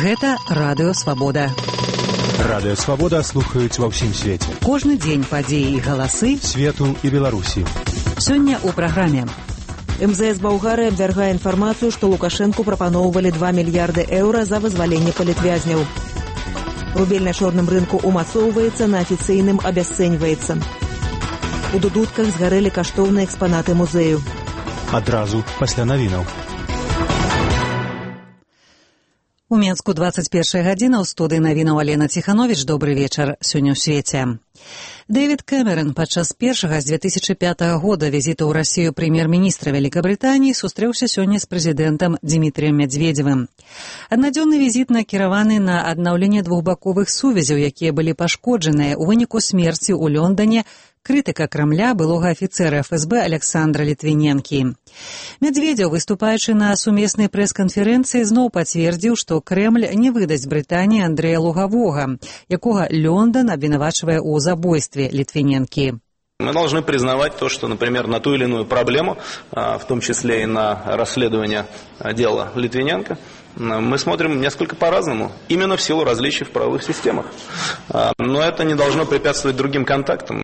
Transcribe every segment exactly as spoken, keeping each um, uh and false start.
Гэта Радыё Свабода. Радыё Свабода слухаюць ва ўсім свеце. Кожны дзень падзеі і галасы свету і Беларусі. Сёння ў праграме. эм зэ эс Балгарыі абвяргае інфармацыю, што Лукашэнку прапаноўвалі два мільярды еўра за вызваленне палітвязняў. Рубель на чорным рынку умацоўваецца, на афіцыйным абясцэньваецца. У дудутках згарэлі каштоўныя экспанаты музею. Адразу пасля навінаў. У Менску двадцать першая гадзіна, ў студыі навінаў Алена Ціхановіч. Добры вечар. Сёння ў свеце. Дэвід Кэмерон падчас першага з две тысячы пятага года візіту ў Расію прэм'ер-міністра Вялікабрытаніі сустрэўся сёння з прэзідэнтам Дзімітрыем Мядзведзевым. Аднадзённы візіт накіраваны на аднаўленне двухбаковых сувязяў, якія былі пашкоджаныя ў выніку смерці ў Лондоне крытыка Крамля былога афіцэра эф эс бэ Александра Літвіненкі. Мядзведзеў, выступаючы на сумеснай прэс-канферэнцыі, зноў пацвердзіў, што Крэмль не выдасць Брытаніі Андрэя Лугавога, якога Лондон обвинувачивая о забойстве Литвиненки. Мы должны признавать то, что, например, на ту или иную проблему, в том числе и на расследование дела Литвиненко, мы смотрим несколько по-разному, именно в силу различий в правовых системах. Но это не должно препятствовать другим контактам.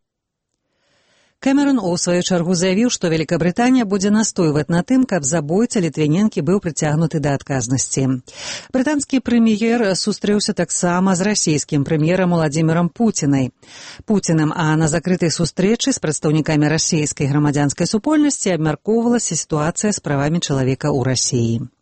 Кэмерон у сваю чаргу заявіў, што Великабрытанія будзе настойваць на тым, каб забойца Літвіненкі быў прыцягнуты да адказнасці. Брытанскі прэм'ер сустрэўся таксама з расійскім прэм'ерам Уладзімірам Пуцінай. Пуціным, а на закрытай сустрэчы з прадстаўнікамі расійскай грамадзянскай супольнасці абмяркоўвалася сітуацыя з правамі чалавека ў Расіі.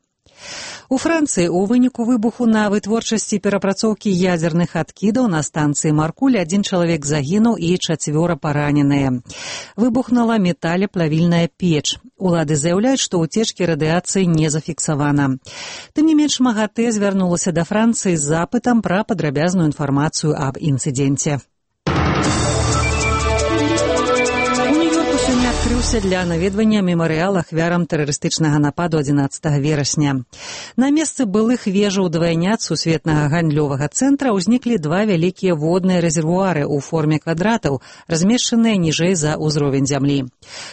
У Францыі ў выніку выбуху на вытворчасці перапрацоўкі ядзерных адкідаў на станцыі Маркуль адзін чалавек загінуў і чацвёра параненыя. Выбухнула металеплавільная печ. Улады заяўляюць, што ўцечкі радыяцыі не зафіксавана. Тым не менш, МАГАТЭ звярнулася да Францыі з запытам пра падрабязную інфармацыю аб інцыдэнце. Адкрыўся для наведвання мемарыял ахвярам тэрарыстычнага нападу адзінаццатага верасня. На месцы былых вежаў двайнят сусветнага гандлёвага цэнтра ўзніклі два вялікія водныя рэзервуары ў форме квадратаў, размешчаныя ніжэй за ўзровень зямлі.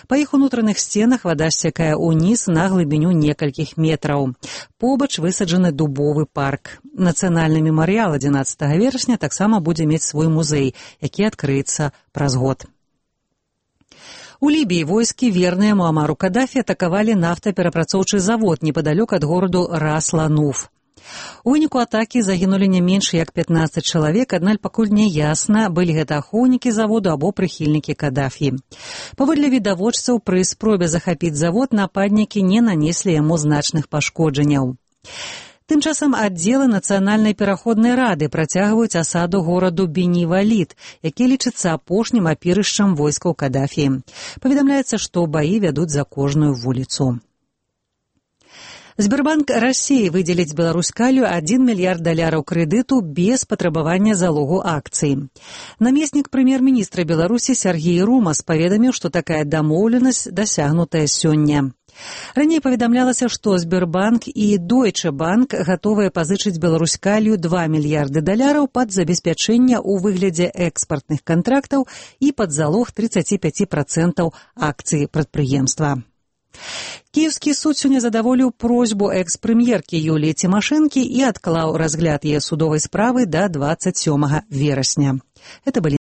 Па іх унутраных сценах вада сцякае ўніз на глыбіню некалькіх метраў. Побач высаджаны дубовы парк. Нацыянальны мемарыял адзінаццатага верасня таксама будзе мець свой музей, які адкрыецца праз год. У Лібіі войскі, верныя Муамару Кадафі, атакавалі нафтаперапрацоўчы завод непадалёк ад гораду Рас-Лануф. У выніку атакі загінулі не менш як пятнаццаць чалавек, аднак пакуль не ясна, былі гэта ахоўнікі заводу або прыхільнікі Кадафі. Паводле відавочцаў, пры спробе захапіць завод нападнікі не нанеслі яму значных пашкоджанняў. Тым часам аддзелы Нацыянальнай пераходнай рады працягваюць асаду гораду Бені-Валід, які лічыцца апошнім апірышчам войскаў Кадафі. Паведамляецца, што баі вядуць за кожную вуліцу. Сбербанк Расіі выдзеліць Беларускалю адзін мільярд даляраў крэдыту без патрабавання залогу акцый. Намеснік прэм'ер-міністра Беларусі Сергей Румас паведаміў, што такая дамоўленасць дасягнутая сёння. Раней паведамлялася, што Сбербанк і Дойче Банк гатовыя пазычыць Беларускалю два мільярды даляраў пад забеспячэнне ў выглядзе экспартных кантрактаў і пад залог тридцать пять процентов акцый прадпрыемства. Кіеўскі суд сёння задаволіў просьбу экс-прэм'еркі Юліі Цімашэнкі і адклаў разгляд яе судовай справы да двадцать сёмага верасня. Это былі